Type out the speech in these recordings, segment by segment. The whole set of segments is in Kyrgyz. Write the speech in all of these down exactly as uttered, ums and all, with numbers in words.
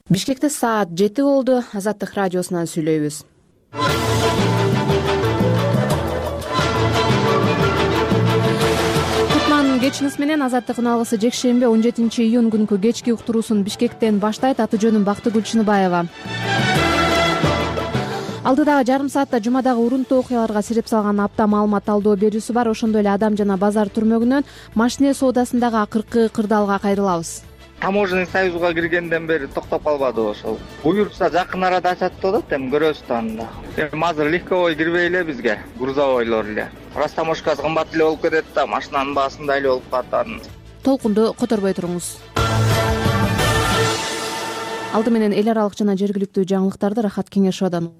Бишкекте саат жети болду. Азаттык радиосунан сүйлөйбүз. Кутман кечиңиз менен Азаттык үналгысы жекшемби он жетинчи июнь күнкү кечки уктуруусун Бишкектен баштайт. Аты жөнүм Бактыгүл Чыныбаева. Алдыдагы жарым саатта жумадагы урунтуу окуяларга сирип салган апта маалымат талдоо берүүсү бар. Ошондой эле Адам жана базар түрмөгүнөн машине соодасындагы акыркы кырдаалга кайрылабыз. Таможенный союзга киргенден бери токтоп калбады ошол. Буюрса жакын арада ачат деп атат, эми көрөбүз анда. Эми азыр легковой кирбей эле бизге, грузовойлор эле. Растаможкасы кымбат эле болуп кетет да, машинанын баасында эле болуп калат. Толкунду которбой туруңуз. Алды менен эл аралык жана жергиликтүү жаңылыктарды Рахат Кеңешовдон.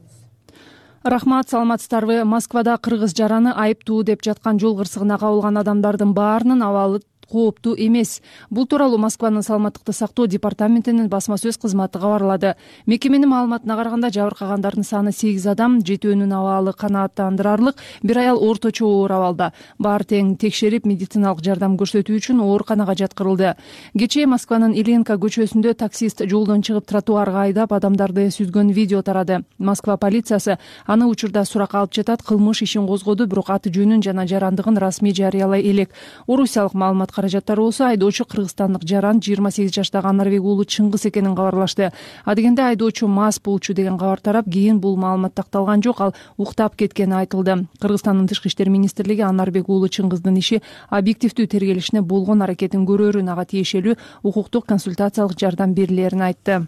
Рахмат, саламатсыздарбы? Москвада кыргыз жараны айыптуу деп жаткан жол кырсыгына кабылган адамдардын баарынын абалы кооптуу эмес. Бул тууралуу Москванын саламаттыкты сактоо департаментинин басма сөз кызматы кабарлады. Мекеменин маалыматына караганда жабыркагандардын саны сегиз адам, жетөөнүн абалы канааттандырарлык, бир аял орточо оор абалда. Баары тең текшерип, медициналык жардам көрсөтүү үчүн ооруканага жаткырылды. Кечээ Москванын Ильинка көчөсүндө таксист жолдон чыгып тротуарга айдап адамдарды сүзгөн видео тарады. Москва полициясы аны учурда суракка алып жатат, кылмыш ишин козгоду, бирок аты жөнүн жана жарандыгын расмий жарыялай элек. Орусиялык маалымат каражаттары болсо айдоочу кыргызстандык жаран жыйырма сегиз жаштагы Анарбек уулу Чыңгыз экенин кабарлашты. Адегенде айдоочу мас болчу деген кабар тарап, кийин бул маалымат такталган жок, ал уктап кеткени айтылды. Кыргызстандын тышкы иштер министрлиги Анарбек уулу Чыңгыздын иши объективдүү тергелишине болгон аракетин көрөөрүн, ага тиешелүү укуктук консультациялык жардам берилерин айтты.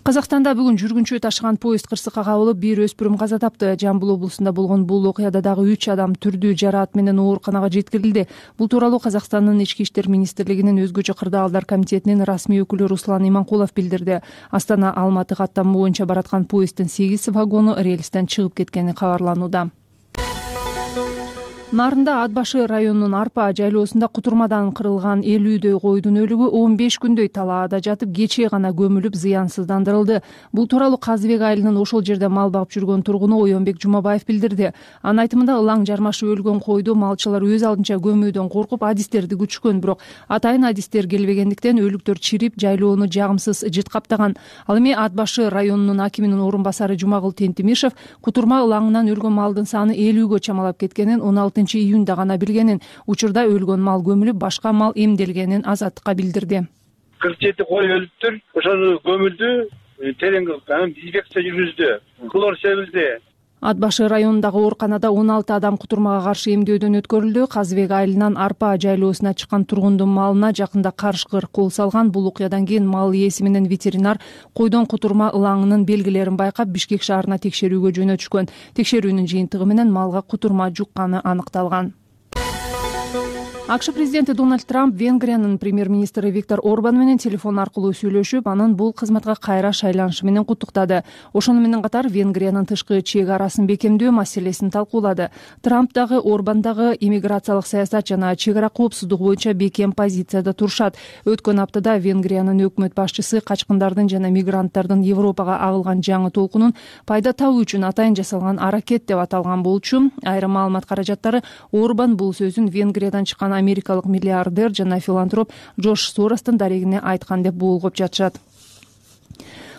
Казакстанда бүгүн жүргүнчү ташыган поезд кырсыкка кабылып, бир өспүрүм каза тапты. Жамбыл облусунда болгон бул окуяда дагы үч адам түрдүү жараат менен ооруканага жеткирилди. Бул тууралуу Казакстандын ички иштер министрлигинин өзгөчө кырдаалдар комитетинин расмий өкүлү Руслан Иманкулов билдирди. Астана Алматы каттамы боюнча бараткан поезддин сегиз вагону рельстен чыгып кеткени кабарланууда. Нарында Ат башы районунун Арпа жайлоосунда кутурмадан кырылган элүүдөй койдун өлүгү он беш күндөй талаада жатып, кечээ гана көмүлүп зыянсыздандырылды. Бул тууралуу Казыбек айылынын ошол жерде мал багып жүргөн тургуну Оёнбек Жумабаев билдирди. Анын айтымында ылаң жармашып өлгөн койду малчылар өз алдынча көмүүдөн коркуп адистерди күчкөн, бирок атайын адистер келбегендиктен өлүктөр чирип, жайлоону жагымсыз жыт каптаган. Ал эми Ат башы районунун акиминин орун басары Жумагул Тентимишев кутурма ылаңынан өлгөн малдын саны элүүгө чамалап кеткенин, он алтынчы июнда гана билгенин, учурда өлгөн мал көмүлүп, башка мал эмделгенин Азаттыкка билдирди. кырк жети кой өлүптүр, ошону көмүлдү, терең анан дезинфекция жүргүздү, клор себилди. Ат башы районундагы ооруканада он алты адам кутурмага каршы эмдөөдөн өткөрүлдү. Казыбек айылынан Арпа жайлоосуна чыккан тургундун малына жакында карышкыр кол салган. Бул окуядан кийин мал ээси менен ветеринар койдон кутурма ылаңынын белгилерин байкап, Бишкек шаарына текшерүүгө жөнөтүшкөн. Текшерүүнүн жыйынтыгы менен малга кутурма жукканы аныкталган. АКШ президенти Дональд Трамп Венгриянын премьер-министри Виктор Орбан менен телефон аркылуу сүйлөшүп, анын бул кызматка кайра шайланышы менен куттуктады. Ошону менен катар Венгриянын тышкы чек арасын бекемдөө маселесин талкуулады. Трамп дагы Орбан дагы иммиграциялык саясат жана чек ара коопсуздугу боюнча бекем позицияда турушат. Өткөн аптада Венгриянын өкмөт башчысы качкындардын жана мигранттардын Европага агылган жаңы толкунун пайда табуу үчүн атайын жасалган аракет деп аталган болчу. Айрым маалымат каражаттары Орбан бул сөзүн Венгриядан чыккан америкалык миллиардер жана филантроп Джош Соростун дарегине айткан деп болгоп жатышат.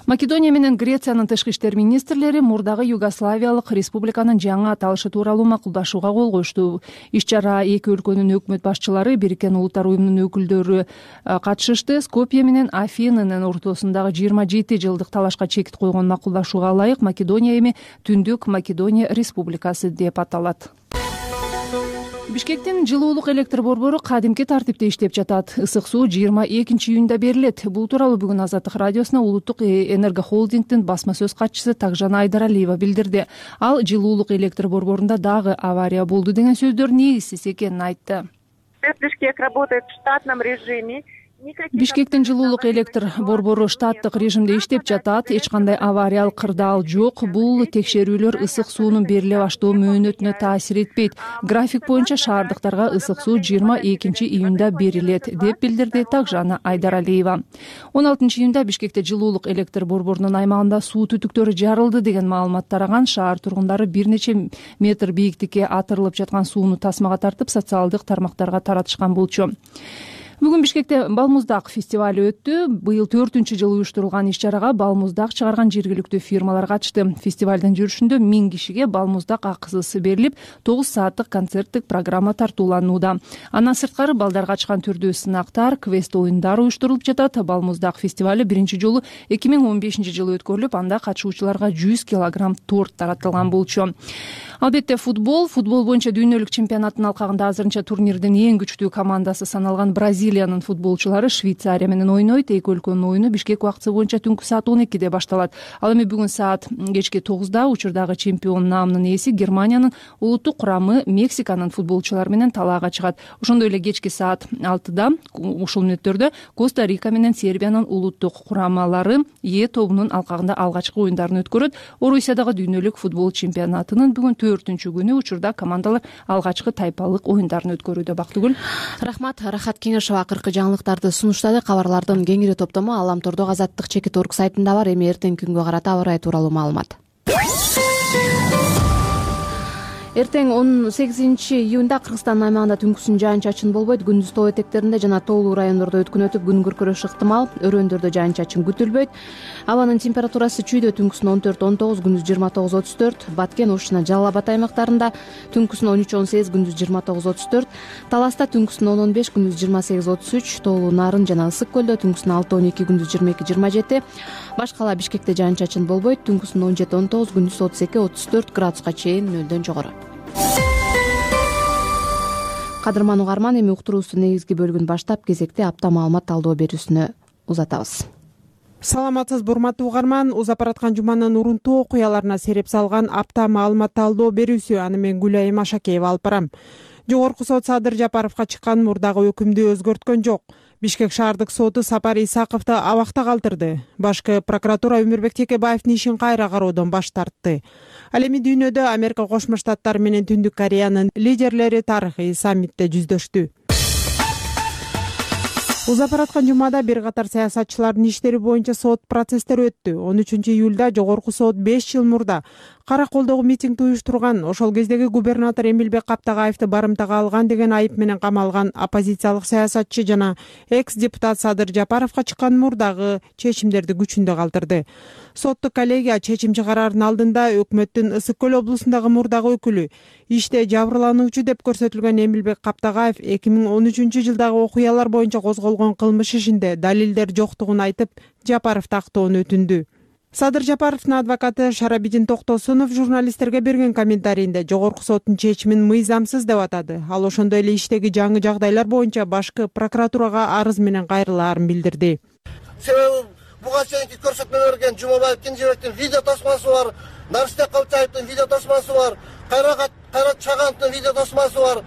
Македония менен Грециянын тышкы иштер министрлери мурдагы Югославиялык республиканын жаңы аталышы тууралуу макулдашууга кол коюшту. Иш-чара эки өлкөнүн өкмөт башчылары, Бириккен Улуттар уюмунун өкүлдөрү катышышты. Скопье менен Афинанын ортосундагы жыйырма жети жылдык талашка чекит койгон макулдашууга ылайык Македония эми Түндүк Македония республикасы деп аталат. Бишкектин жылуулук электр борбору кадимки тартипте иштеп жатат. Ысык суу жыйырма экинчи июнда берилет. Бул тууралуу бүгүн Азаттык радиосуна Улуттук энергохолдингдин басма сөз катчысы Такжан Айдаралиева билдирди. Ал жылуулук электр борборунда дагы авария болду деген сөздөр негизсиз экенин айтты. Бишкек работает в штатном режиме. Бишкектин жылуулук электр борбору штаттык режимде иштеп жатат. Эч кандай авариялык кырдаал жок. Бул текшерүүлөр ысык суунун бериле баштоо мөөнөтүнө таасир этпейт. График боюнча шаардыктарга ысык суу жыйырма экинчи июнда берилет, деп билдирди Такжана Айдаралиева. он алтынчы июнда Бишкекте жылуулук электр борборунун аймагында суу түтүктөрү жарылды деген маалымат тараган. Шаар тургундары бир нече метр бийиктикке атырылып жаткан сууну тасмага тартып социалдык тармактарга таратышкан болчу. Бүгүн Бишкекте балмуздак фестиваль өттү. Быйыл төртүнчү жыл уюштурулган иш-чарага балмуздак чыгарган жергиликтүү фирмалар катышты. Фестивалдын жүрүшүндө миң кишиге балмуздак акысыз берилип, тогуз сааттык концерттик программа тартууланууда. Андан сырткары балдарга ачкан түрдүү сынактар, квест оюндар уюштурулуп жатат. Балмуздак фестиваль биринчи жолу эки миң он бешинчи жылы өткөрүлүп, анда катышуучуларга жүз килограмм торт таратылган болчу. Албетте футбол, футбол боюнча дүйнөлүк чемпионаттын алкагында азырынча турнирдин эң күчтүү командасы саналган Бразилиянын футболчулары Швейцария менен ойнойт. Эки өлкөнүн оюну Бишкек убактысы боюнча түнкү саат он экиде башталат. Ал эми бүгүн саат кечки тогузда учурдагы чемпион наамынын ээси Германиянын улуттук курамы Мексиканын футболчулары менен талаага чыгат. Ошондой эле кечки саат алтыда ушул мүнөттөрдө Коста-Рика менен Сербиянын улуттук курамалары Е тобунун алкагында алгачкы оюндарын өткөрөт. Орусиядагы дүйнөлүк футбол чемпионатынын бүгүн төртүнчү күнү учурда командалар алгачкы тайпалык оюндарын өткөрүүдө. Бактыгүл. Рахмат. Рахат Кеңешова акыркы жаңылыктарды сунуштады. Кабарлардын кеңири топтому Аламтордогу Азаттык чекит орг сайтында бар. Эми эртеңки күнгө карата аба ырайы тууралуу маалымат. Эртең он сегизинчи июнда Кыргызстан аймагында түнкүсүн жаан-чачын болбойт. Күндүз тоо этектеринде жана тоолуу райондордо өткүн өтүп күн күркүрөш ыктымал. Өрөөндөрдө жаан-чачын күтүлбөйт. Абанын температурасы чүйдө түнкүсүн он төрт он тогуз, күндүз жыйырма тогуз отуз төрт, Баткен, Ош жана Жалал Абад аймактарында түнкүсүн он үч он сегиз, күндүз жыйырма тогуз отуз төрт, Таласта түнкүсүн он он беш, күндүз жыйырма сегиз отуз үч, Тоолуу Нарын жана Ысык көлдө түнкүсүн алты он эки, күндүз жыйырма эки жыйырма жети, Башкала Бишкекте жаан-чачын болбойт. Түнкүсүн он жети он тогуз, күндүз отуз эки отуз төрт градуска чейин нөлдөн жогору. Кадырман угарман, эми уктуруубуздун негизги бөлүгүн баштап кезекте апта маалымат талдоо берүүсүнө узатабыз. Саламатсызбы урматтуу угарман, узап бараткан жуманын урунтуу окуяларына сереп салган апта маалымат талдоо берүүсү аны мен Гүлайым Ашакеева алып барам. Жогорку сот Садыр Жапаровго чыккан мурдагы өкүмдү өзгөрткөн жок. Бишкек шаардык соту Сапар Исаковду абакта калтырды. Башкы прокуратура Өмүрбек Текебаевдин ишин кайра кароодон баш тартты. Ал эми дүйнөдө Америка Кошмо Штаттары менен Түндүк Кореянын лидерлери тарыхый саммитте жүздөштү. Узап бараткан жумада бир катар саясатчылардын иштери боюнча сот процесстери өттү. он үчүнчү июлда жогорку сот беш жыл мурда Кара колдогу митингди уюштурган, ошол кездеги губернатор Эмилбек Каптагаевди барымтага алган деген айып менен камалган оппозициялык саясатчы жана экс-депутат Садыр Жапаровго чыккан мурдагы чечимдерди күчүндө калтырды. Соттук коллегия чечим чыгарардын алдында өкмөттүн Ысык көл облусундагы мурдагы өкүлү, иште жабырлануучу деп көрсөтүлгөн Эмилбек Каптагаев эки миң он үчүнчү жылдагы окуялар боюнча козголгон кылмыш ишинде далилдер жоктугун айтып, Жапаров тактоону өтүндү. Садыр Жапаровдун адвокаты Шарабидин Токтосунов журналисттерге берген комментарийинде жогорку соттун чечимин мыйзамсыз деп атады. Ал ошондой эле иштеги жаңы жагдайлар боюнча башкы прокуратурага арыз менен кайрылаарын билдирди. Себеби буга чейинки көрсөтмө берген Жумабаев Кенжебектин видео тосмасы бар, Нарышбек Калчаевдин видео тосмасы бар, Кайрат Кайрат Чагановдун видео тосмасы бар,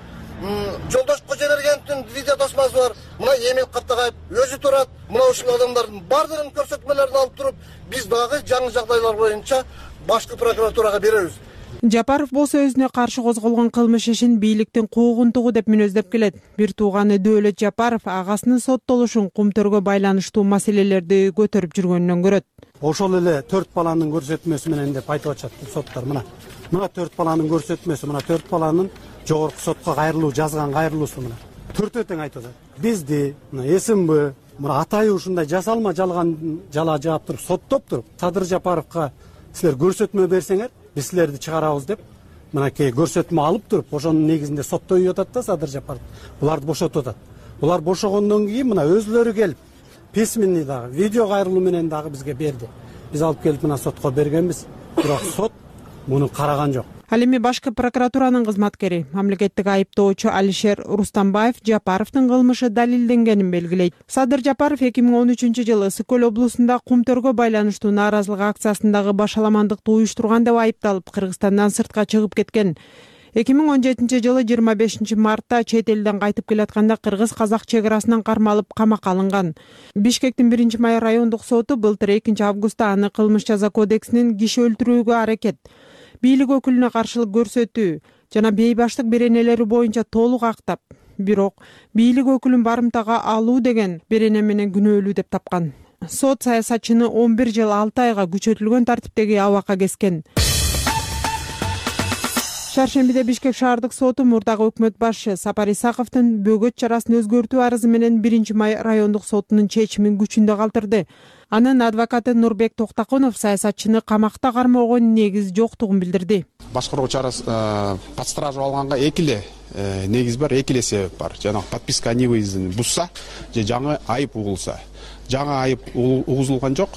Жолдош Кожобергеновдун видео тосмасы бар. Мына Эмил Каптагаев өзү турат. Мына ушул адамдардын баардыгынын көрсөтмөлөрүн алып туруп, биз дагы жаңы жагдайлар боюнча башкы прокуратурага беребиз. Жапаров болсо өзүнө каршы козголгон кылмыш ишин бийликтин куугунтугу деп мүнөздөп келет. Бир тууганы Дөөлөт Жапаров агасынын соттолушун кумтөргө байланыштуу маселелерди көтөрүп жүргөнүнөн көрөт. Ошол эле төрт баланын көрсөтмөсү менен деп айтып атышат соттор. Мына мына төрт баланын көрсөтмөсү, мына төрт баланын жогорку сотко кайрылуу жазган кайрылуусу мына. Төртөө тең айтып атат. Бизди мына СМБ мына атайы ушундай жасалма жалган жала жаап туруп соттоп туруп Садыр Жапаровго силер көрсөтмө берсеңер, биз силерди чыгарабыз деп мынакей көрсөтмө алып туруп, ошонун негизинде соттой атат да Садыр Жапаров. Буларды бошотуп атат. Булар бошогондон кийин мына өзлөрү келип письменный дагы видео кайрылуу менен дагы бизге берди. Биз алып келип мына сотко бергенбиз. Бирок сот муну караган жок. Ал эми башкы прокуратуранын кызматкери, мамлекеттик айыптоочу Алишер Рустамбаев Жапаровдун кылмышы далилденгенин белгилейт. Садыр Жапаров эки миң он үчүнчү жылы Ысык көл облусунда кумтөргө байланыштуу нааразылык акциясындагы башаламандыкты уюштурган деп айыпталып, Кыргызстандан сыртка чыгып кеткен. эки миң он жетинчи жылы жыйырма бешинчи мартта чет элден кайтып келатканда кыргыз-казак чек арасынан кармалып камакка алынган. Бишкектин биринчи май райондук соту былтыр экинчи августта аны кылмыш жаза кодексинин киши өлтүрүүгө аракет, бийлик өкүлүнө каршылык көрсөтүү жана бейбаштык беренелери боюнча толук актап, бирок бийлик өкүлүн барымтага алуу деген берене менен күнөөлүү деп тапкан. Сот саясатчыны он бир жыл алты айга күчөтүлгөн тартиптеги абакка кескен. Шаршембиде Бишкек шаардык соту мурдагы өкмөт башчы Сапар Исаковдун бөгөт чарасын өзгөртүү арызы менен биринчи май райондук сотунун чечимин күчүндө калтырды. Анын адвокаты Нурбек Токтакунов саясатчыны камакта кармоого негиз жоктугун билдирди. Башкаруу чарасы под стражу алганга эки эле негиз бар, эки эле себеп бар. Жана подписка о невыездин бузса же жаңы айып угулса. Жаңы айып угузулган жок,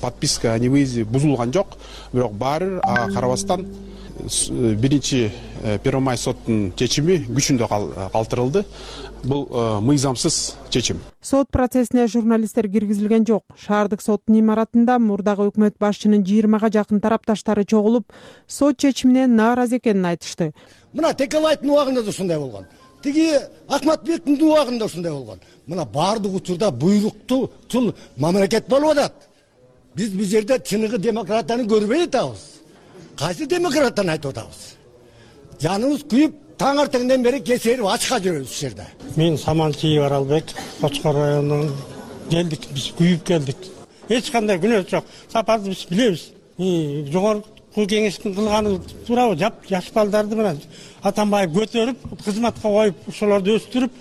подписка о невыезде бузулган жок, бирок баары карабастан биринчи Первомай соттун чечими күчүндө калтырылды. Бул мыйзамсыз чечим. Сот процессине журналисттер киргизилген жок. Шаардык соттун имаратында мурдагы өкмөт башчынын жыйырмага жакын тарапташтары чогулуп, сот чечимине нааразы экенин айтышты. Мына Текебаевдин убагында да ушундай болгон. Тиги Акматбектин убагында ушундай болгон. Мына баардык учурда буйруктуу тул мамлекет болуп атат. Биз бул жерде чыныгы демократияны көрбөй атабыз. Кайсы демократтан айтып атабыз? Жаныбыз күйүп, таң артыңдан бери кесерип ачка жүрөбүз ушул жерде. Мен Самантиев Аралбек, Кочкор районунун келдик, биз күйүп келдик. Эч кандай күнөөсү жок. Сапарды биз билебиз. Жогорку кеңештин кылганы туурабы? Жаш балдарды менен Атамбаев көтөрүп, кызматка коюп, ошолорду өстүрүп,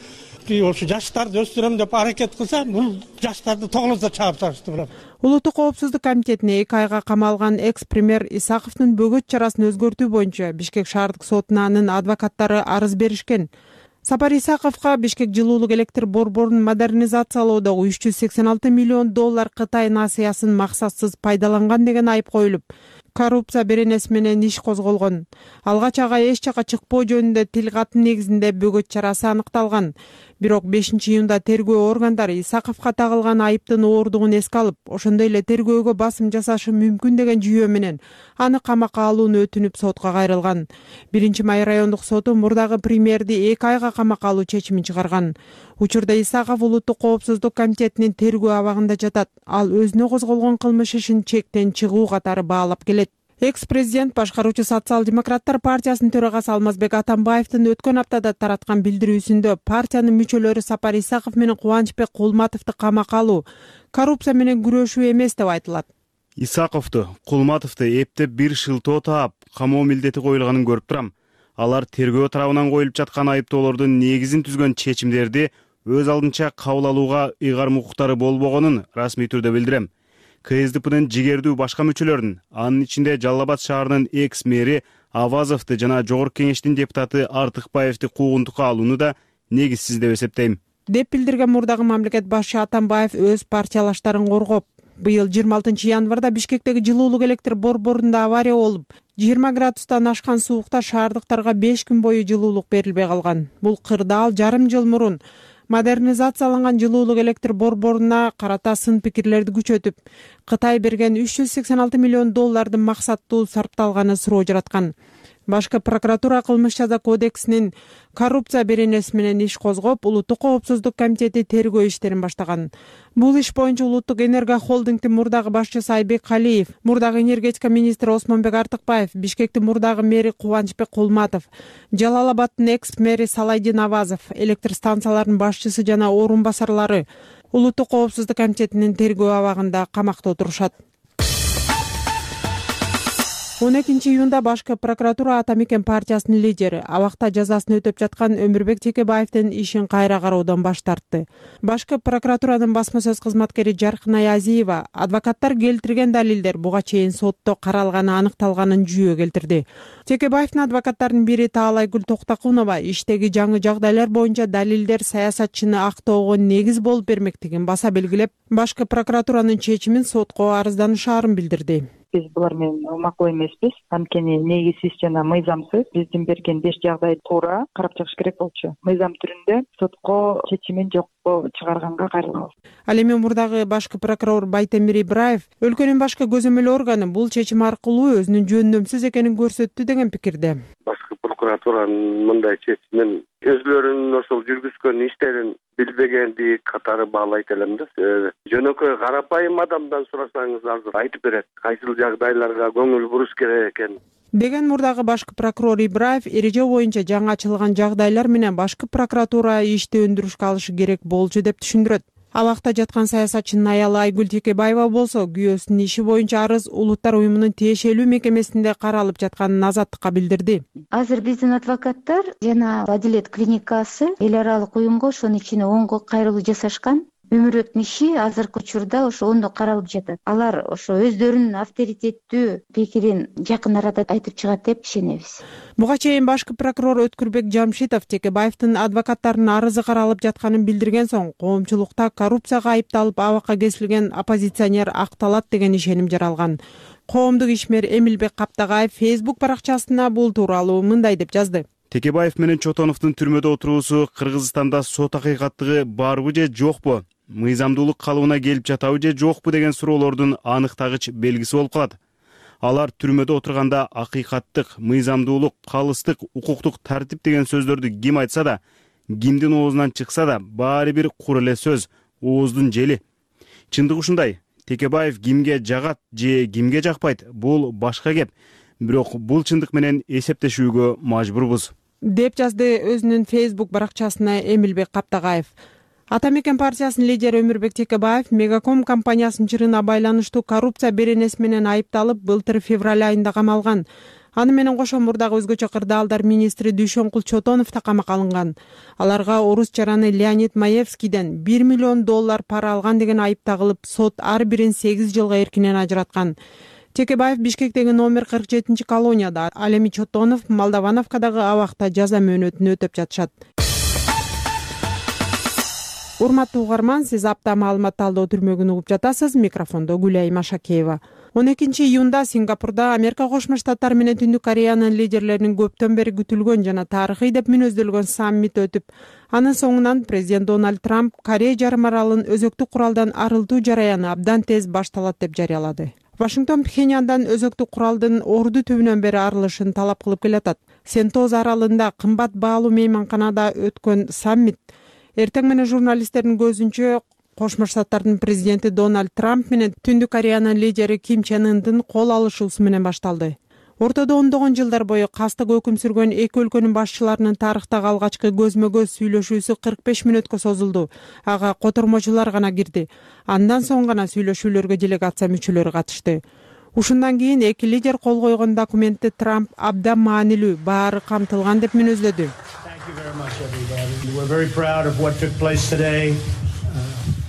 ошо жаштарды өстүрөм деп аракет кылса, бул жаштарды тоглозо чаап ташты. Улуттук коопсуздук комитетине эки айга камалган экс-премьер Исаковдун бөгөт чарасын өзгөртүү боюнча Бишкек шаардык сотуна анын адвокаттары арыз беришкен. Сапар Исаковго Бишкек жылуулук электр борборун модернизациялоодогу үч жүз сексен алты миллион доллар Кытай насыясын максатсыз пайдаланган деген айып коюлуп, коррупция беренеси менен иш козголгон. Алгач ага эч жака чыкпоо жөнүндө тил катын негизинде бөгөт чарасы аныкталган. Бирок бешинчи июнда тергөө органдары Исаковго тагылган айыптын ооругун эске алып, ошондой эле тергөөгө басым жасашы мүмкүн деген жүйө менен аны камакка алууну өтүнүп сотко кайрылган. биринчи май райондук соту мурдагы премьерди эки айга камакка алуу чечимин чыгарган. Учурда Исаков Улуттук коопсуздук комитетинин тергөө абагында жатат. Ал өзүнө козголгон кылмыш ишин чектен чыгуу катары баалап келет. Экс-президент башкаруучу Социал-демократтар партиясынын төрагасы Алмазбек Атамбаевдин өткөн аптада тараткан билдирүүсүндө партиянын мүчөлөрү Сапар Исаков менен Кубанычбек Кулматовду камакка алуу коррупция менен күрөшүү эмес деп айтылат. Исаковду, Кулматовду эптеп бир шылтоо таап, камоо милдети коюлганын көрүп турам. Алар тергөө тарабынан коюлуп жаткан айыптоолордун негизин түзгөн чечимдерди өз алдынча кабыл алууга ыйгарым укуктары болбогонун расмий түрдө билдирем. КСДПнын жигердүү башка мүчөлөрүн, анын ичинде Жалал Абад шаарынын экс-мэри Авазовду жана Жогорку кеңештин депутаты Артыкбаевди куугунтукка алууну да негизсиз деп эсептейм. Деп билдирген мурдагы мамлекет башчы Атамбаев өз партиялаштарын коргоп, быйыл жыйырма алтынчы январда Бишкектеги жылуулук электр борборунда авария болуп, жыйырма градустан ашкан суукта шаардыктарга беш күн бою жылуулук берилбей калган. Бул кырдаал жарым жыл мурун модернизацияланган жылуулук электр борборуна карата сын пикирлерди күчөтүп, Кытай берген үч жүз сексен алты миллион доллардын максаттуу сарпталганы суроо жараткан. Башкы прокуратура кылмыш жаза кодексинин коррупция беренеси менен иш козгоп, Улуттук коопсуздук комитети тергөө иштерин баштаган. Бул иш боюнча Улуттук энерго холдингдин мурдагы башчысы Айбек Калиев, мурдагы энергетика министри Осмонбек Артыкбаев, Бишкектин мурдагы мэри Кубанычбек Кулматов, Жалал Абадтын экс-мэри Салайдин Авазов, электр станцияларынын башчысы жана орун басарлары Улуттук коопсуздук комитетинин тергөө абагында камакта отурушат. он экинчи июнда башкы прокуратура Ата Мекен партиясынын лидери, абакта жазасын өтөп жаткан Өмүрбек Текебаевдин ишин кайра кароодон баш тартты. Башкы прокуратуранын басма сөз кызматкери Жаркынай Азиева адвокаттар келтирген далилдер буга чейин сотто каралганы аныкталганын жүйө келтирди. Текебаевдин адвокаттарынын бири Таалайгүл Токтакунова иштеги жаңы жагдайлар боюнча далилдер саясатчыны актоого негиз болуп бермектигин баса белгилеп, башкы прокуратуранын чечимин сотко арызданышаарын билдирди. Биз булар менен макул эмеспиз. Анткени негизсиз жана мыйзамсыз биздин берген беш жагдай туура карап чыгыш керек болчу. Мыйзам түрүндө сотко чечимин жокко чыгарганга кайрылабыз. Ал эми мурдагы башкы прокурор Байтемир Ибраев өлкөнүн башкы көзөмөл органы бул чечим аркылуу өзүнүн жөндөмсүз экенин көрсөттү деген пикирде. Башкы прокуратуранын мындай чечимин өзлөрүнүн ошол жүргүзгөн иштерин билбегенди катары баалайт элем да. Жөнөкөй карапайым адамдан сурасаңыз азыр айтып берет. Кайсыл жагдайларга көңүл буруш керек экен деген мурдагы башкы прокурор Ибраев эреже боюнча жаңы ачылган жагдайлар менен башкы прокуратура ишти өндүрүшкө алышы керек болчу деп түшүндүрөт. Абакта жаткан саясатчынын аялы Айгүл Текебаева болсо күйөөсүнүн иши боюнча арыз Улуттар уюмунун тиешелүү мекемесинде каралып жатканын азаттыкка билдирди. Азыр биздин адвокаттар жана Адилет клиникасы эл аралык уюмга ошонун ичине онго кайрылуу жасашкан. Өмүрбектин иши азыркы учурда ошо ондо каралып жатат. Алар ошо өздөрүнүн авторитеттүү пикирин жакын арада айтып чыгат деп ишенебиз. Буга чейин башкы прокурор Өткүрбек Жамшитов Текебаевдин адвокаттарынын арызы каралып жатканын билдирген соң, коомчулукта коррупцияга айыпталып абакка кесилген оппозиционер акталат деген ишеним жаралган. Коомдук ишмер Эмилбек Каптагаев Facebook баракчасына бул тууралуу мындай деп жазды. Текебаев менен Чотоновдун түрмөдө отуруусу Кыргызстанда сот акыйкаттыгы барбы же жокпу, мыйзамдуулук калыбына келип жатабы же жокпу деген суроолордун аныктагыч белгиси болуп калат. Алар түрмөдө отурганда акыйкаттык, мыйзамдуулук, калыстык, укуктук тартип деген сөздөрдү ким айтса да, кимдин оозунан чыкса да, баары бир кур эле сөз, ооздун жели. Чындык ушундай. Текебаев кимге жагат же кимге жакпайт, бул башка кеп. Бирок бул чындык менен эсептешүүгө мажбурбуз, деп жазды өзүнүн Facebook баракчасына Эмилбек Каптагаев. Ата мекен партиясынын лидери Өмүрбек Текебаев Мегаком компаниясынын чырына байланыштуу коррупция беренеси менен айыпталып, былтыр февраль айында камалган. Аны менен кошо мурдагы өзгөчө кырдаалдар министри Дүйшөнкул Чотонов да камакка алынган. Аларга орус жараны Леонид Маевскийден бир миллион доллар пара алган деген айып тагылып, сот ар бирин сегиз жылга эркинен ажыраткан. Текебаев Бишкектеги номер кырк жетинчи колонияда, ал эми Чотонов Молдовановкадагы абакта жаза мөөнөтүн өтөп жатышат. Урматтуу угарман, сиз апта маалымат талдоо түрмөгүн угуп жатасыз. Микрофондо Гүлайым Ашакеева. он экинчи июнда Сингапурда Америка Кошмо Штаттары менен Түндүк Кореянын лидерлеринин көптөн бери күтүлгөн жана тарыхый деп мүнөздөлгөн саммит өтүп, анын соңунан президент Дональд Трамп Корея жарым аралын өзөктүк куралдан арылтуу жараяны абдан тез башталат деп жарыялады. Вашингтон Пхеньяндан өзөктүк куралдын орду түбүнөн бери арылышын талап кылып келатат. Сентоз аралында кымбат баалуу мейманканада өткөн саммит эртең менен журналисттердин көзүнчө Кошмо Штаттардын президенти Дональд Трамп менен Түндүк Кореянын лидери Ким Чен Ындын кол алышуусу менен башталды. Ортодо ондогон жылдар бою кастык өкүм сүргөн эки өлкөнүн башчыларынын тарыхтагы алгачкы көзмө-көз сүйлөшүүсү кырк беш мүнөткө созулду. Ага котормочулар гана кирди. Андан соң гана сүйлөшүүлөргө делегация мүчөлөрү катышты. Ушундан кийин эки лидер кол койгон документти Трамп абдан маанилүү, баары камтылган деп мүнөздөдү.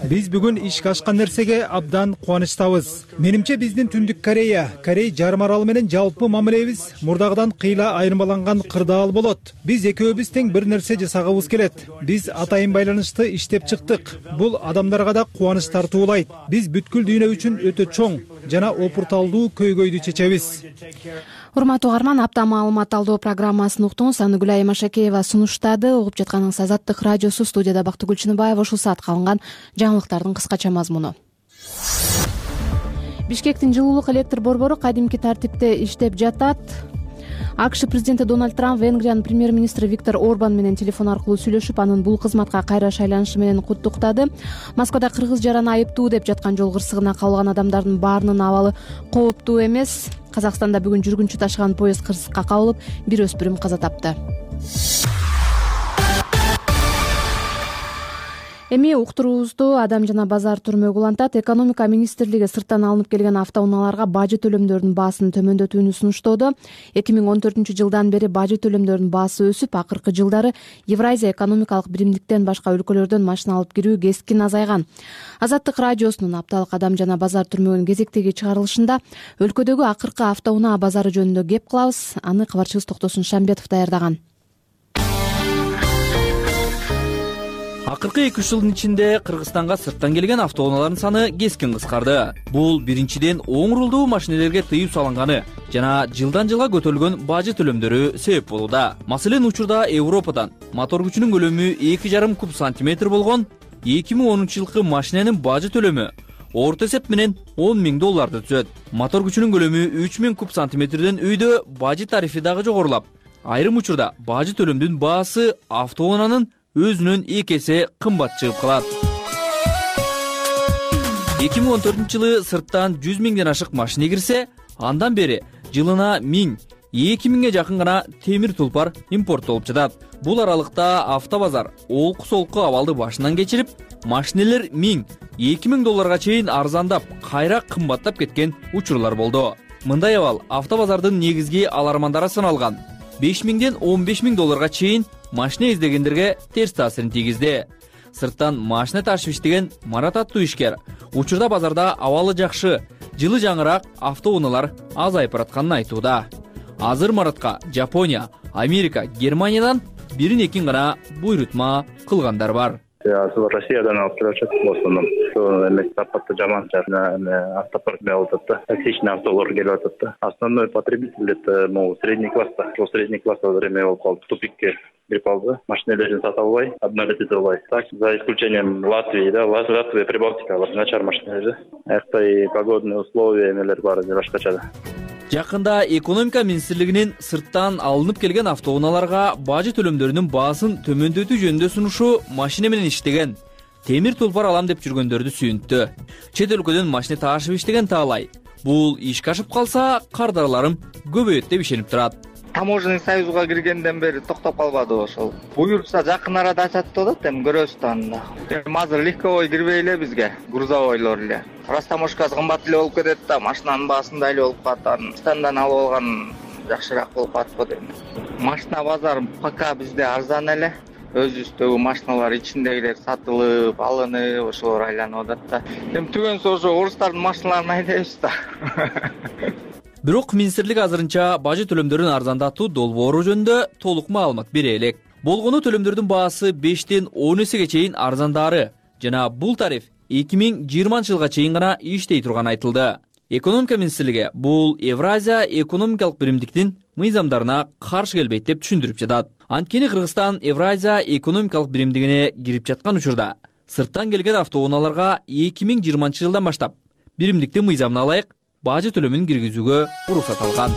Биз бүгүн ишке ашкан нерсеге абдан кубанычтабыз. Менимче биздин Түндүк Корея, Корей жарым аралы менен жалпы мамилебиз мурдагыдан кыйла айырмаланган кырдаал болот. Биз экөөбүз тең бир нерсе жасагыбыз келет. Биз атайын байланышты иштеп чыктык. Бул адамдарга да кубаныч тартуулайт. Биз бүткүл дүйнө үчүн өтө чоң жана опурталдуу көйгөйдү чечебиз. Урматтуу угарман, апта маалымат талдоо программасын уктуңуз. Аны Гүлайым Ашакеева сунуштады. Угуп жатканыңыз Азаттык радиосу. Студияда Бактыгүл Чыныбаева. Ушул саатка алынган жаңылыктардын кыскача мазмуну. Бишкектин жылуулук электр борбору кадимки тартипте иштеп жатат. АКШ президенти Дональд Трамп Венгриянын премьер-министри Виктор Орбан менен телефон аркылуу сүйлөшүп, анын бул кызматка кайра шайланышы менен куттуктады. Москвада кыргыз жараны айыптуу деп жаткан жол кырсыгына кабылган адамдардын баарынын абалы кооптуу эмес. Казакстанда бүгүн жүргүнчү ташыган поезд кырсыкка кабылып, бир өспүрүм каза тапты. Эми уктуруубузду Адам жана базар түрмөгү улантат. Экономика министрлиги сырттан алынып келген автоунааларга бажы төлөмдөрдүн баасын төмөндөтүүнү сунуштоодо. эки миң он төртүнчү жылдан бери бажы төлөмдөрдүн баасы өсүп, акыркы жылдары Евразия экономикалык биримдиктен башка өлкөлөрдөн машина алып кирүү кескин азайган. Азаттык радиосунун апталык Адам жана базар түрмөгүнүн кезектеги чыгарылышында өлкөдөгү акыркы автоунаа базары жөнүндө кеп кылабыз. Аны кабарчыбыз Токтосун Шамбетов даярдаган. Акыркы эки үч жылдын ичинде Кыргызстанга сырттан келген автоунаалардын саны кескин кыскарды. Бул биринчиден оң рулдуу машинелерге тыюу салынганы жана жылдан жылга көтөрүлгөн бажы төлөмдөрү себеп болууда. Маселен, учурда Европадан мотор күчүнүн көлөмү эки жарым куб сантиметр болгон эки миң онунчу жылкы машиненин бажы төлөмү орто эсеп менен он миң долларды түзөт. Мотор күчүнүн көлөмү үч миң куб сантиметрден үйдө бажы тарифи дагы жогорулап, айрым учурда бажы төлөмдүн баасы автоунаанын өзүнөн эки эсе кымбат чыгып калат. эки миң он төртүнчү жылы сырттан жүз миңден ашык машина кирсе, андан бери жылына миң эки миңге жакын гана темир тулпар импорттолуп жатат. Бул аралыкта автобазар олку солку абалды башынан кечирип, машинелер миң, эки миң долларга чейин арзандап, кайра кымбаттап кеткен учурлар болду. Мындай абал автобазардын негизги алармандары саналган беш миңден он беш миң долларга чейин машина издегендерге терс таасирин тийгизди. Сырттан машина ташып иштеген Марат аттуу ишкер учурда базарда абалы жакшы, жылы жаңыраак автоунаалар азайып баратканын айтууда. Азыр Маратка Жапония, Америка, Германиядан бирин экин гана буйрутма кылгандар бар. Азыр Россиядан алып келишет болсондон. Эмек сапаты жаман жана автопарк болуп атат да. Токсичный автолор келип атат да. Основной потребитель это могу средний класста. Ошол средний класста время болуп калды. Тупикке кирип калды. Машиналерин сата албай, обновить албай. Так, за исключением Латвии, да, Латвия, Прибалтика, начар машиналер. Акта и погодные условия эмелер бар, башкача да. Жакында экономика министрлигинин сырттан алынып келген автоунааларга бажы төлөмдөрүнүн баасын төмөндөтүү жөнүндө сунушу машина менен иштеген, темир тулпар алам деп жүргөндөрдү сүйүнттү. Чет өлкөдөн машина таашып иштеген таалай. Бул ишке ашып калса, кардарларым көбөйөт деп ишенип турат. Таможенный союзга киргенден бери токтоп калбады ошол. Буюрса жакын арада ачат деп атат, эми көрөбүз да анда. Эми азыр легковой кирбей эле бизге, грузовойлор эле. Растаможкасы кымбат эле болуп кетет да, машинанын баасын да эле болуп калат. Стандан алып алган жакшыраак болуп атпы дейм. Машина базары пока бизде арзан эле. Өзүбүздөгү машиналар ичиндегилер сатылып, алынып, ошолор айланып атат да. Эми түгөнсү ошо орустардын машиналарын айдайбыз да. Бирок министрлик азырынча бажы төлөмдөрүн арзандатуу долбоору жөнүндө толук маалымат бере элек. Болгону төлөмдөрдүн баасы бештен он эсеге чейин арзандары жана бул тариф эки миң жыйырманчы жылга чейин гана иштей турганы айтылды. Экономика министрлиги бул Евразия экономикалык биримдиктин мыйзамдарына каршы келбейт деп түшүндүрүп жатат. Анткени Кыргызстан Евразия экономикалык биримдигине кирип жаткан учурда сырттан келген автоунааларга эки миң жыйырманчы жылдан баштап биримдиктин мыйзамына ылайык бажы төлөмүн киргизүүгө уруксат алган.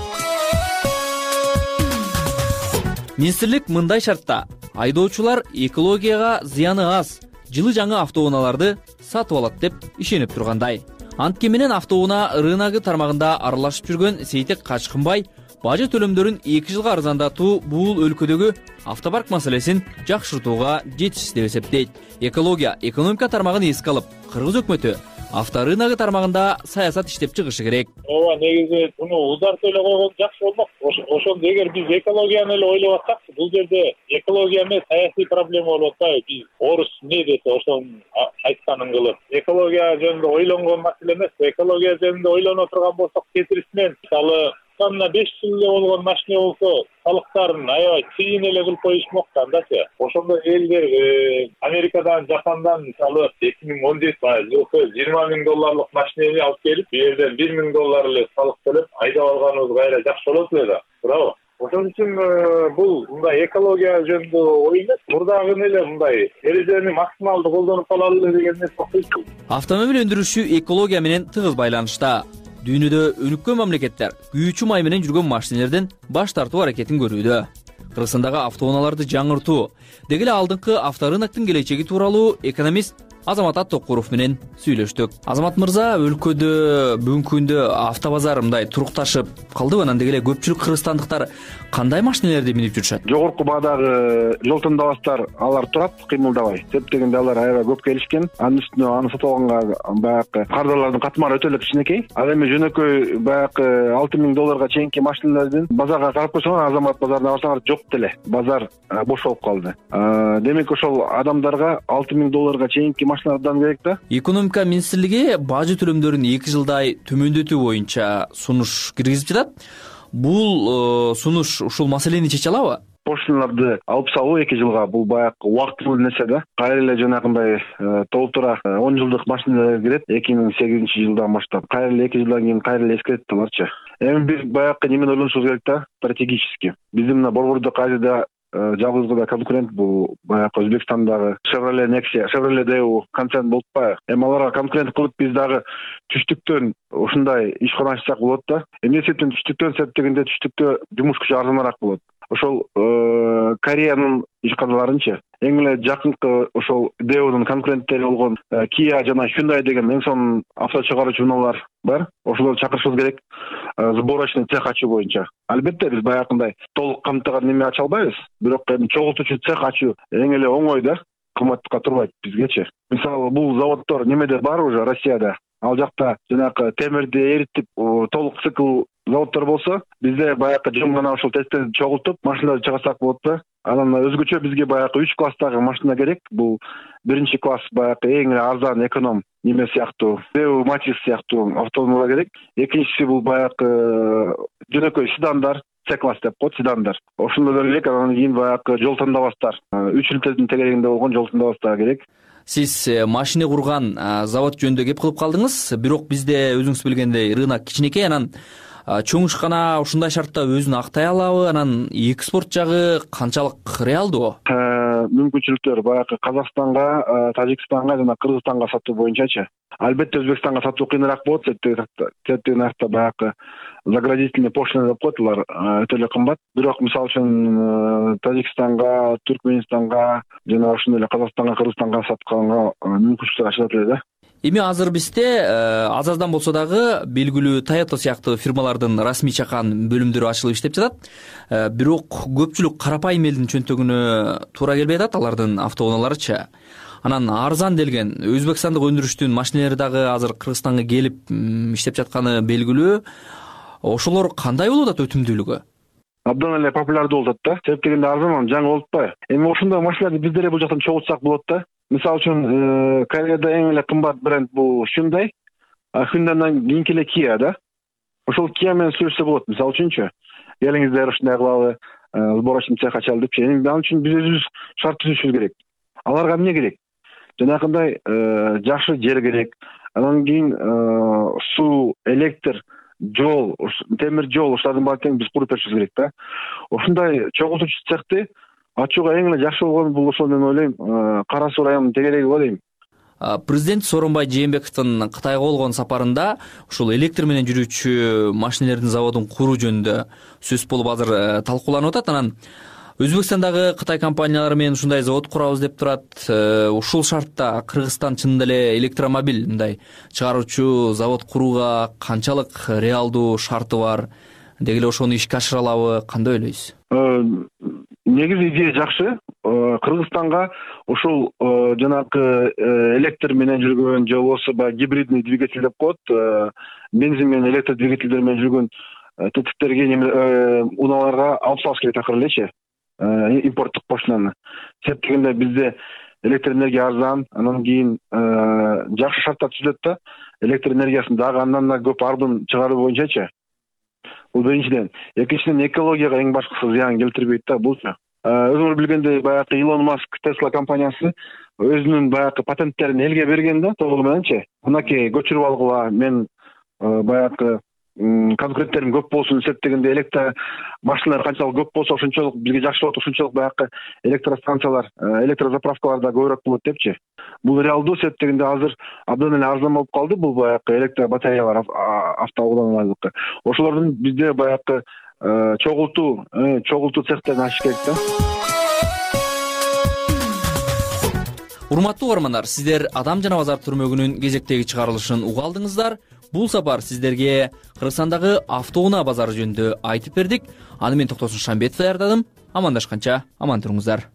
Министрлик мындай шартта айдоочулар экологияга зыяны аз, жылы жаңы автоунааларды сатып алат деп ишенип тургандай. Антке менен автоунаа рыногу тармагында аралашып жүргөн Сейтек Качкынбай бажы төлөмдөрүн эки жылга арзандатуу бул өлкөдөгү автопарк маселесин жакшыртууга жетишсиз деп эсептейт. Экология, экономика тармагын эске алып, Кыргыз өкмөтү авторыногу тармагында саясат иштеп чыгышы керек. Ооба, негизи муну узартып эле койгон жакшы болмок. Ошондо эгер биз экологияны эле ойлоп атсак, бул жерде экология эмес, саясий проблема болуп атпайбы? Биз орус эмне десе ошонун айтканын кылып. Экология жөнүндө ойлонгон маселе эмес, экология жөнүндө ойлоно турган болсок, кетирисинен мисалы мына беш жыл эле болгон машина болсо, салыктарын аябай чыйын эле кылып коюшмок да андачы. Ошондо элдер Америкадан, Жапондан мисалы эки миң он жети жылкы жыйырма миң долларлык машинени алып келип, бул жерден бир миң доллар эле салык төлөп айдап алганыбыз кайра жакшы болот эле да. Туурабы? Ошон үчүн бул мындай экология жөнүндө ой эмес, мурдагы эле мындай эрежени максималдуу колдонуп калалы эле деген нерсе окуйт. Автомобиль өндүрүшү экология менен тыгыз байланышта. Дүйнөдө өнүккөн мамлекеттер күйүүчү май менен жүргөн машинелерден баш тартуу аракетин көрүүдө. Кыргызстандагы автоунааларды жаңыртуу, деги эле алдыңкы авторыноктун келечеги тууралуу экономист Азамат Аттокуров менен сүйлөштүк. Азамат мырза, өлкөдө бүгүнкү күндө автобазар мындай турукташып калдыбы? Анан деги эле көпчүлүк кыргызстандыктар кандай машинелерди минип жүрүшөт? Жогорку баадагы жол тандабастар алар турат, кыймылдабай. Себеп дегенде алар аябай көп келишкен. Анын үстүнө аны сатып алганга баягы кардарлардын катмары өтө эле кичинекей. Ал эми жөнөкөй баягы алты миң долларга чейинки машиналардын базарга карап койсоң, Азамат базарына барсаңар жок деле. Базар бош болуп калды. Демек ошол адамдарга алты миң долларга чейинки машиналардан керек да. Экономика министрлиги бажы төлөмдөрүн эки жылдай төмөндөтүү боюнча сунуш киргизип жатат. Бул сунуш ушул маселени чече алабы? Пошлиналарды алып салуу эки жылга бул баягы убактылуу нерсе да. Кайра эле жанагындай толтура он жылдык машиналар кирет эки миң сегизинчи жылдан баштап. Кайра эле эки жылдан кийин кайра эле эскерет аларчы. Эми биз баягы немени ойлонушубуз керек да, стратегически. Биздин мына Борбордук Азияда жалгыз гана конкурент бул баягы Өзбекстандагы Chevrolet Nexia, Chevrolet Daewoo концерн болуп атпайбы? Эми аларга конкурент кылып биз дагы түштүктөн ушундай ишкана ачсак болот да. Эмне себептен түштүктөн себеп дегенде түштүктө жумуш күчү арзаныраак болот. ошол Кореянын ишканаларынчы эң эле жакынкы ошол Daewoo'нун конкуренттери болгон Kia жана Hyundai деген эң сонун авто чыгаруучу унаалар бар. Ошолорду чакырышыбыз керек сборочный цех ачуу боюнча. Албетте биз баягындай толук камтыган неме ача албайбыз, бирок эми чогултуучу цех ачуу эң эле оңой да, кымбатка турбайт бизгечи. Мисалы бул заводдор немеде бар уже Россияда. Ал жакта жанагы темирди эритип толук цикл заводдор болсо, бизде баягы жум гана ошол тесттерди чогултуп машиналарды чыгарсак болот да. Анан өзгөчө бизге баягы үч класстагы машина керек. Бул биринчи класс баягы эң эле арзан эконом неме сыяктуу, Daewoo Matiz сыяктуу автоунаалар керек. Экинчиси бул баягы жөнөкөй седандар, C-класс деп коет, седандар. Ошондой керек. Анан кийин баягы жол тандабастар, үч литрдин тегерегинде болгон жол тандабастар керек. Сиз машина курган завод жөнүндө кеп кылып калдыңыз, бирок бизде өзүңүз билгендей рынок кичинекей, анан чоң ишкана ушундай шартта өзүн актай алабы? Анан экспорт жагы канчалык реалдуу? Мүмкүнчүлүктөр баягы Казакстанга, Тажикстанга жана Кыргызстанга сатуу боюнчачы. Албетте Өзбекстанга сатуу кыйыныраак болот, себеби наркта баягы заградительный пошлина деп коет, алар өтө эле кымбат. Бирок мисалы үчүн Тажикстанга, Түркменистанга жана ошондой эле Казакстанга, Кыргызстанга сатканга мүмкүнчүлүктөр ачылат эле да. Эми азыр бизде аз аздан болсо дагы белгилүү Toyota сыяктуу фирмалардын расмий чакан бөлүмдөрү ачылып иштеп жатат. Бирок көпчүлүк карапайым элдин чөнтөгүнө туура келбей атат алардын автоунааларычы. Анан арзан делген өзбекстандык өндүрүштүн машиналары дагы азыр Кыргызстанга келип иштеп жатканы белгилүү. Ошолор кандай болуп атат өтүмдүүлүгү? Абдан эле популярдуу болуп атат да. Себеп дегенде арзан, жаңы болуп атпайбы? Эми ошондой машиналарды биздер бул жактан чогултсак болот да. Мисалы үчүн Кореяда эң эле кымбат бренд бул Hyundai, а Hyundai'дан кийинки эле Kia да. Ошол Kia менен сүйлөшсө болот. Мисалы үчүнчү, келиңиздер ушундай кылалы, сборочный цех ачалы депчи. Эми ал үчүн биз өзүбүз шарт түзүшүбүз керек. Аларга эмне керек? Жанагындай жакшы жер керек. Анан кийин суу, электр, жол, темир жол ушулардын баарын биз куруп беришибиз керек да. Ошундай чогултуучу цехти ачууга эң эле жакшы болгон бул ошол мен ойлойм, Кара Суу районунун тегереги го дейм. Президент Сооронбай Жээнбековдун Кытайга болгон сапарында ушул электр менен жүрүүчү машиналардын заводун куруу жөнүндө сөз болуп азыр талкууланып атат. Анан Өзбекстандагы Кытай компаниялары менен ушундай завод курабыз деп турат. Ушул шартта Кыргызстан чынында эле электромобиль мындай чыгаруучу завод курууга канчалык реалдуу шарты бар? Деги эле ошону ишке ашыра алабы? Кандай ойлойсуз? Негизи идея жакшы. Кыргызстанга ушул жанагы электр менен жүргөн же болбосо баягы гибридный двигатель деп коет, бензин менен электр двигательдер менен жүргөн тетиктерге унааларга алып салыш керек акыры элечи, импорттук пошлинаны. Себеп дегенде бизде электр энергия арзан, анан кийин жакшы шарттар түзүлөт да, электр энергиясын дагы андан да көп ардын чыгаруу боюнчачы. Бул биринчиден. Экинчиден экологияга эң башкысы зыян келтирбейт да булчу. Өзүңөр билгендей баягы Илон Маск Tesla компаниясы өзүнүн баягы патенттерин элге берген да, толугу мененчи. Мынакей көчүрүп алгыла, мен баягы конкуренттерим көп болсун деп дегенде электр машиналар канчалык көп болсо ошончолук бизге жакшы болот, ошончолук баягы электростанциялар, электрозаправкалар да көбүрөөк болот депчи. Бул реалдуу, себеп дегенде азыр абдан эле арзан болуп калды бул баягы электр батареялар автоунаалардыкы. Ошолордун бизде баягы чогултуу, чогултуу цехтерин ачыш керек да. Урматтуу угармандар, сиздер Адам жана базар түрмөгүнүн кезектеги чыгарылышын уга алдыңыздар. Бул сапар сиздерге Кыргызстандагы автоунаа базары жөнүндө айтып бердик. Аны мен Токтосун Шамбетов даярдадым. Амандашканча аман туруңуздар.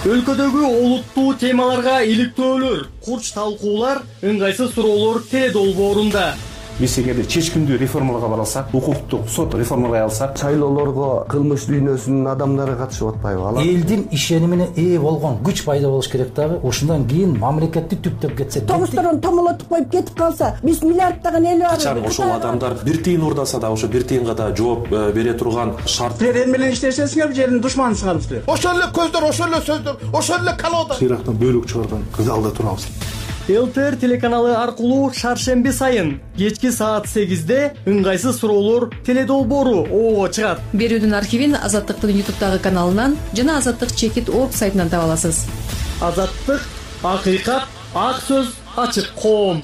Өлкөдөгү олуттуу темаларга иликтөөлөр, курч талкуулар, ыңгайсыз суроолор Т долбоорунда. Биз эгерде чечкиндүү реформаларга бара алсак, укуктук сот реформаларга алсак, шайлоолорго кылмыш дүйнөсүнүн адамдары катышып атпайбы? Алар элдин ишенимине ээ болгон күч пайда болуш керек дагы. Ошондон кийин мамлекетти түптөп кетсе, тогузторон томолотуп коюп кетип калса, биз миллиарддаган эл бар. Качан ошол адамдар бир тыйын урдаса да, ошо бир тыйынга да жооп бере турган шарт. Силер эл менен иштешесиңер, жердин душманысыңар силер. Ошол эле көздөр, ошол эле сөздөр, ошол эле колода. Сыйрактан бөлүк чыгарган залда турабыз. ЛТР телеканалы аркылуу шаршемби сайын кечки саат сегизде ыңгайсыз суроолор теледолбоору оого чыгат. Берүүдүн архивин Азаттыктын ютубтагы каналынан жана Азаттык чекит точка орг сайтынан таба аласыз. Азаттык, акыйкат, ак сөз, ачык коом.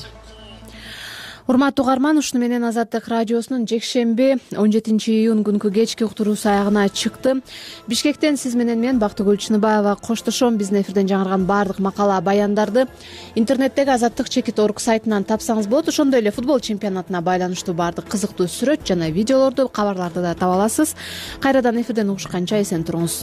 Урматтуу угарман, ушуну менен Азаттык радиосунун жекшемби он жетинчи июнь күнкү кечки уктуруусу аягына чыкты. Бишкектен сиз менен мен Бактыгүл Чыныбаева коштошом. Биздин эфирден жаңырган баардык макала, баяндарды интернеттеги азаттык чекит орг сайтынан тапсаңыз болот. Ошондой эле футбол чемпионатына байланыштуу баардык кызыктуу сүрөт жана видеолорду, кабарларды да таба аласыз. Кайрадан эфирден угушканча эсен туруңуз.